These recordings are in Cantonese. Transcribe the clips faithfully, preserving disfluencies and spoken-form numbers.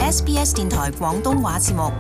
S B S 電台廣東話節目。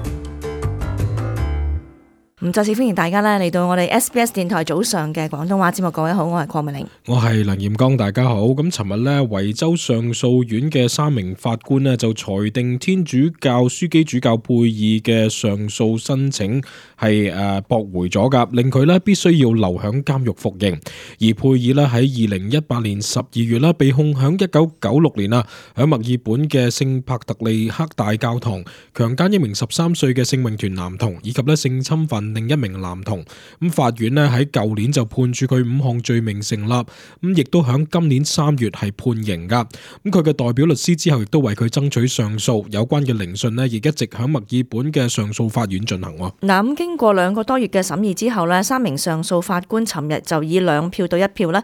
咁再次歡迎大家咧嚟到我哋 S B S 電台早上嘅廣東話節目。各位好，我係鄺美玲，我係梁炎剛，大家好。咁尋日咧，維州上訴院嘅三名法官呢就裁定天主教樞機主教佩爾嘅上訴申請係誒駁回咗噶，令佢咧必須要留響監獄服刑。而佩爾咧喺二零一八年十二月啦，被控響一九九六年啊，喺墨爾本嘅聖帕特利克大教堂強姦一名十三歲嘅聖詠團男童，以及咧性侵犯另一名男童。咁法院咧喺舊年就判處佢五項罪名成立，咁亦都響今年三月係判刑噶。咁佢嘅代表律師之後亦都為佢爭取上訴，有關嘅聆訊咧亦一直響墨爾本嘅上訴法院進行。嗱，咁經過兩個多月嘅審議之後咧，三名上訴法官尋日就以兩票對一票咧，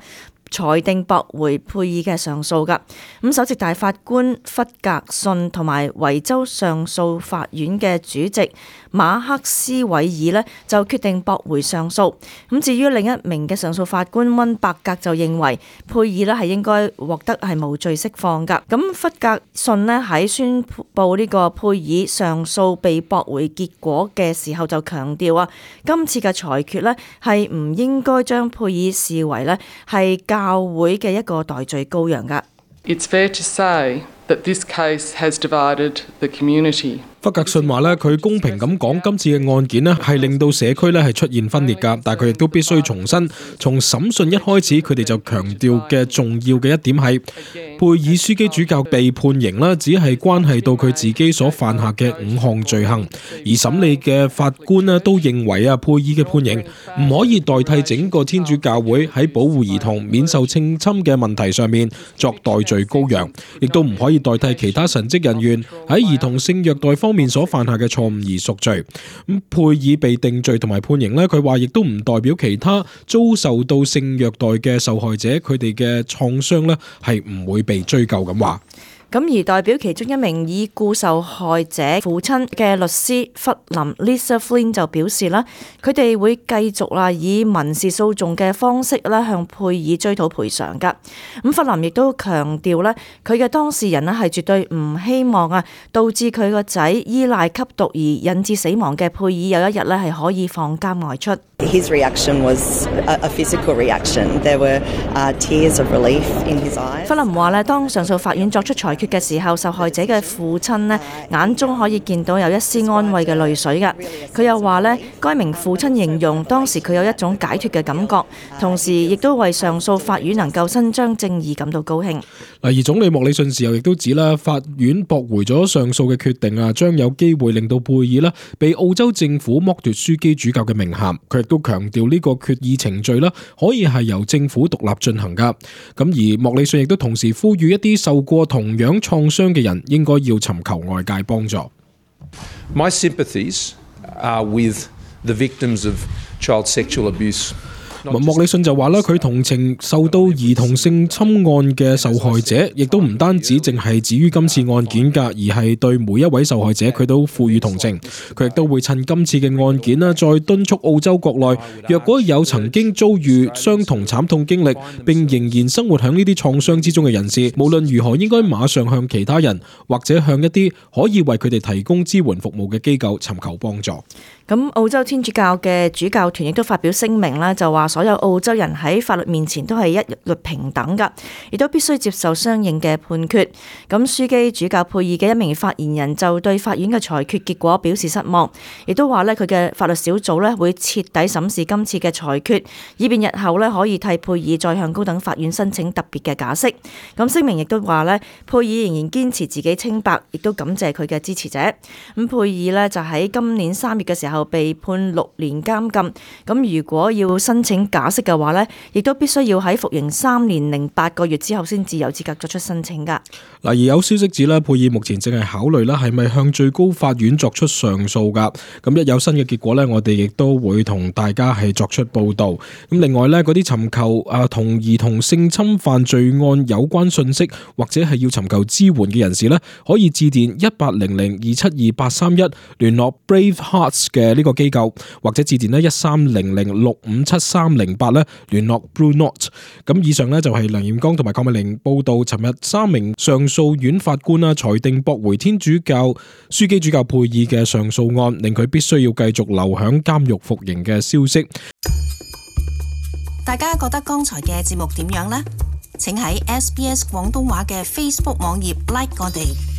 裁定駁回佩爾嘅上訴噶。咁首席大法官弗格遜同埋維州上訴法院嘅主席馬克斯韋爾呢就決定駁回上訴。咁至於另一名嘅上訴法官溫伯格就認為佩爾呢係應該獲得係無罪釋放噶。咁弗格遜呢喺宣布呢個佩爾上訴被駁回結果嘅時候就強調啊，今次嘅裁決呢係唔應該將佩爾視為呢係教會嘅一個代罪羔羊噶。It's fair to say that this case has divided the community. 弗格遜話咧，佢公平咁講，今次嘅案件咧係令到社區咧係出現分裂噶，但係佢亦都必須重申，從審訊一開始，佢哋就強調嘅重要嘅一點係，佩爾樞機主教被判刑啦，只係關係到佢自己所犯下嘅五項罪行，而審理嘅法官咧都認為啊，佩爾嘅判刑唔可以代替整個天主教會喺保護兒童免受性侵嘅問題上面作代罪羔羊，亦都唔可以代替其他神職人員喺兒童性虐待方面所犯下嘅錯誤而贖罪。咁佩爾被定罪同埋判刑呢，佢話亦都唔代表其他遭受到性虐待嘅受害者佢哋嘅創傷呢係唔會被追究咁話。咁而代表其中一名已故受害者父親嘅律師弗林 Lisa Flynn 就表示啦，佢哋會繼續啦以民事訴訟嘅方式啦向佩爾追討賠償噶。咁弗林亦都強調咧，佢嘅當事人咧係絕對唔希望啊導致佢個仔依賴吸毒而引致死亡嘅佩爾有一日咧係可以放監外出。His reaction was a physical reaction. There were uh, tears of relief in his eyes. 弗林話咧，當上訴法院作出裁決嘅時候，受害者嘅父親咧眼中可以見到有一絲安慰嘅淚水噶。佢又話咧，該名父親形容當時佢有一種解脫嘅感覺，同時亦都為上訴法院能夠伸張正義感到高興。嗱，而總理莫里遜事後亦都指啦，法院駁回咗上訴嘅決定啊，將有機會令到佩爾啦被澳洲政府剝奪樞機主教嘅名銜。佢亦都強調呢個決議程序啦，可以係由政府獨立進行噶。咁而莫里遜亦都同時呼籲一啲受過同樣創傷嘅人應該要尋求外界幫助。My sympathies are with the victims of child sexual abuse. 莫里遜就話啦，佢同情受到兒童性侵案嘅受害者，亦都唔單止淨係止於今次案件㗎，而係對每一位受害者佢都賦予同情。佢亦都會趁今次嘅案件啦，再敦促澳洲國內，若果有曾經遭遇相同慘痛經歷並仍然生活喺呢啲創傷之中嘅人士，無論如何應該馬上向其他人或者向一啲可以為佢哋提供支援服務嘅機構尋求幫助。咁澳洲天主教嘅主教團亦都發表聲明啦，就話所有澳洲人喺法律面前都係一律平等噶，亦都必須接受相應嘅判決。咁樞機主教佩爾嘅一名發言人就對法院嘅裁決結果表示失望，亦都話咧佢嘅法律小組咧會徹底審視今次嘅裁決，以便日後咧可以替佩爾再向高等法院申請特別嘅假釋。咁聲明亦都話咧，佩爾仍然堅持自己清白，亦都感謝佢嘅支持者。咁佩爾咧就喺今年三月嘅時候被判六年監禁，咁如果要申請假釋嘅話呢，亦都必須要喺服刑三年零八個月之後先至有資格作出申請噶。嗱，而有消息指咧，佩爾目前正係考慮咧係咪向最高法院作出上訴噶。咁一有新嘅結果呢，我哋亦都會同大家係作出報道。咁另外呢，嗰啲尋求啊同兒童性侵犯罪案有關信息或者係要尋求支援嘅人士呢，可以致電一八零零二七二八三一聯絡 Brave Hearts 嘅呢個機構，或者致電呢一三零零六五七三三零八咧聯絡 Blue Note。咁以上呢，就係梁彥剛同埋鄺美玲報道，尋日三名上訴院法官啦裁定駁回天主教樞機主教佩爾嘅上訴案，令佢必須要繼續留響監獄服刑嘅消息。大家覺得剛才嘅節目點樣呢？請喺 S B S 廣東話嘅 Facebook 網頁 like 我哋。